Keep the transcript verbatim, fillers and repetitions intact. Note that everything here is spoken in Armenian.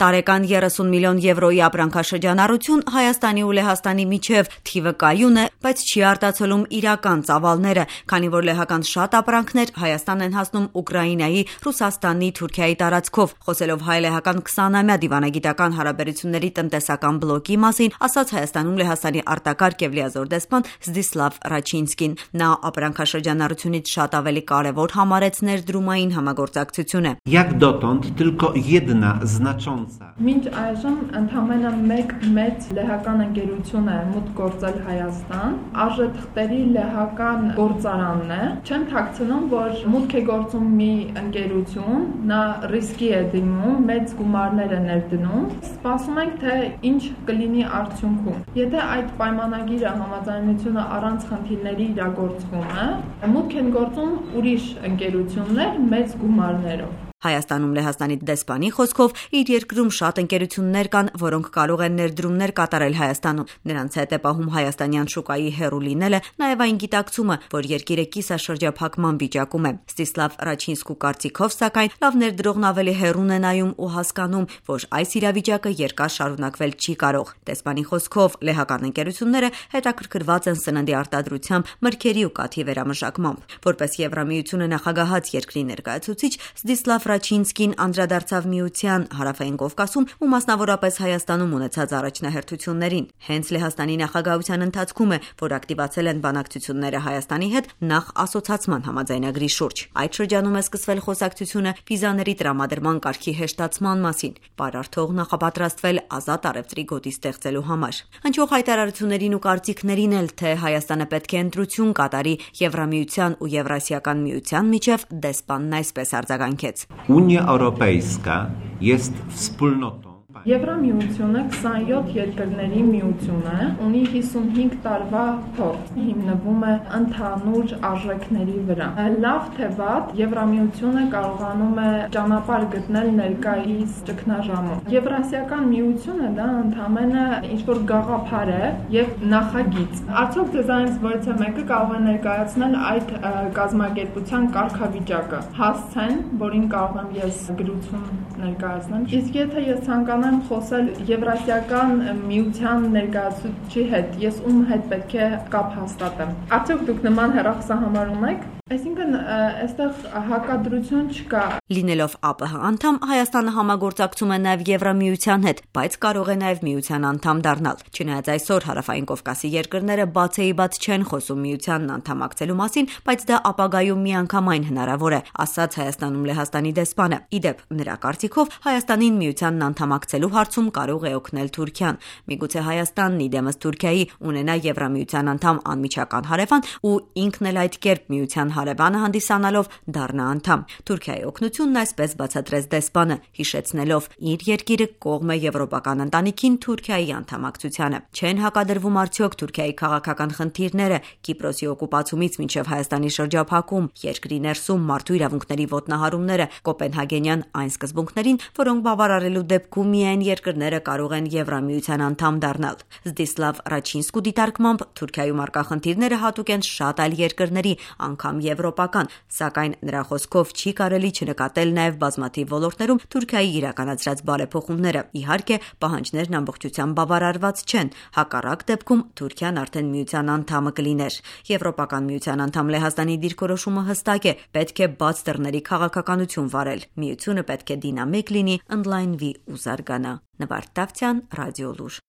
Տարեկան երեսուն միլիոն եվրոյի ապրանքաշրջանառություն Հայաստանի ու Լեհաստանի միջև թիվը կայուն է, բայց չի արտացոլում իրական ծավալները, քանի որ լեհական շատ ապրանքներ Հայաստան են հասնում Ուկրաինայի, Ռուսաստանի, Թուրքիայի տարածքով։ Խոսելով հայ-լեհական քսանամյա դիվանագիտական հարաբերությունների տնտեսական բլոկի մասին, ասաց Հայաստանում Լեհաստանի արտակարգ եւ լիազոր դեսպան Զդիսլավ Ռաչինսկին։ Նա ապրանքաշրջանառությունից շատ ավելի կարևոր համարեց ներդրումային համագործակցությունը։ Jak dotąd tylko jedna znacząca Մինչ այժմ ընդամենը մեկ մեծ լեհական ընկերություն է մուտք գործել Հայաստան, արժեթղթերի լեհական գործարանն է։ Չեմ թաքցնում, որ մուտք է գործում մի ընկերություն, նա ռիսկի է դիմում, մեծ գումարներ է ներդնում։ Սպասում ենք, թե ինչ կլինի արդյունքում։ Եթե այդ պայմանագիրը համաձայնությունը առանց խնդիրների իրագործվում է, մուտք են գործում ուրիշ ընկերություններ մեծ գումարներով։ Հայաստանում Լեհաստանի դեսպանի խոսքով իր երկրում շատ ընկերություններ կան, որոնք կարող են ներդրումներ կատարել Հայաստանում։ Նրանց հետ է պահում հայաստանյան շուկայի հեռու լինելը, նաև այն գիտակցումը, որ երկիրը կիսաշրջափակման վիճակում է։ Զդիսլավ Ռաչինսկու կարծիքով, սակայն, լավ ներդրողն ավելի հեռուն է նայում ու հասկանում, որ այս իրավիճակը երկար շարունակվել չի կարող։ Դեսպանի խոսքով, լեհական ընկերությունները հետաքրքրված են սննդի արտադրությամբ, մրգերի ու կաթի վերամշակմամբ։ Որպես Եվրամիությունը նախագահած երկրի ներկայացուցիչ, Զդիսլավ Ռաչինսկին անդրադարձավ Միության Հարավային Կովկասում ու մասնավորապես Հայաստանում ունեցած առաջնահերթություններին։ Հենց Լեհաստանի նախագահության ընթացքում է, որ ակտիվացել են բանակցությունները Հայաստանի հետ նախ ասոցացման համաձայնագրի շուրջ։ Այդ շրջանում է սկսվել խոսակցությունը վիզաների տրամադրման կարգի հեշտացման մասին, պարարթող նախապատրաստվել ազատ առևտրի գոտի ստեղծելու համար։ Հնչող հայտարարություններին ու կարծիքներին էլ, թե Հայաստանը պետք է ընտրություն կատարի Եվրամիության ու Եվրասիական միության միջև, դեսպանն այսպես արձագանքեց. Unia Europejska jest wspólnotą. Եվրամիությունը քսանյոթ երկրների միություն է, ունի հիսունհինգ տարվա փորձ, հիմնվում է ընդհանուր արժեքների վրա։ Լավ թե վատ, Եվրամիությունը կարողանում է ճանապարհ գտնել ներկայիս ճգնաժամում։ Եվրասիական միությունը դա ընդամենը ինչ-որ գաղափար է եւ նախագիծ։ Արդյոք դեզայնից որից մեկը կարող է ներկայացնել այդ կազմակերպության կարգավիճակը, հասցեն, որին կարող եմ ես գրություն ներկայացնեմ։ Իսկ եթե ես ցանկանամ խոսել Եվրասիական միության ներկայացուցիչի հետ, ես ում հետ պետք է կապ հաստատեմ։ Արդյոք դուք նման հեռախոսահամար ունեք։ Այսինքն, այստեղ հակադրություն չկա։ Լինելով ԱՊՀ անդամ, Հայաստանը համագործակցում է նաև Եվրամիության հետ, բայց կարող է նաև միության անդամ դառնալ։ Չնայած այսօր Հարավային Կովկասի երկրները բացեիբաց չեն խոսում միությանն անդամակցելու մասին, բայց դա ապագայում միանգամայն հնարավոր է, ասաց Հայաստանում Լեհաստանի դեսպանը։ Իդեպ, նրա կարծիքով, Հայաստանին միությանն անդամակցելու հարցում կարող է օգնել Թուրքիան։ Միգուցե Հայաստանն իդեմս Թուրքիայի ունենա Եվրամիության անդամ անմիջական հարևան ու ինքն էլ այդ կերպ միության հարևանը հանդիսանալով դառնա անդամ։ Թուրքիայի օգնությունն այսպես բացատրեց դեսպանը, հիշեցնելով իր երկիրը կողմ է եվրոպական ընտանիքին Թուրքիայի անդամակցությանը։ Չեն հակադրվում արդյոք Թուրքիայի քաղաքական խնդիրները Կիպրոսի օկուպացումից մինչև Հայաստանի շրջափակում, երկրի ներսում մարդու իրավունքների ոտնահարումները, Կոպենհագենյան այն սկզբունքներին, որոնք բավարարելու դեպքում միայն երկրները կարող են Եվրամիության անդամ դառնալ։ Զդիսլավ Ռաչինսկու դիտարկմամբ Թուրքիայում առկա խնդիրները հատուկ են շատ այլ երկրների, անգամ եվրոպական, սակայն նրա խոսքով չի կարելի չնկատել նաև բազմաթիվ ոլորտներում Թուրքիայի իրականացրած բարեփոխումները։ Իհարկե, պահանջներն ամբողջությամբ բավարարված չեն, հակառակ դեպքում Թուրքիան արդեն միության անդամը կլիներ։ Եվրոպական միության անդամ Լեհաստանի դիրքորոշումը հստակ է, պետք է բաց դռների քաղաքականություն վարել։ Միությունը պետք է դինամիկ լինի, ընդլայնվի ու զարգանա։ Նվարդ Տավթյան, Ռադիոլուր։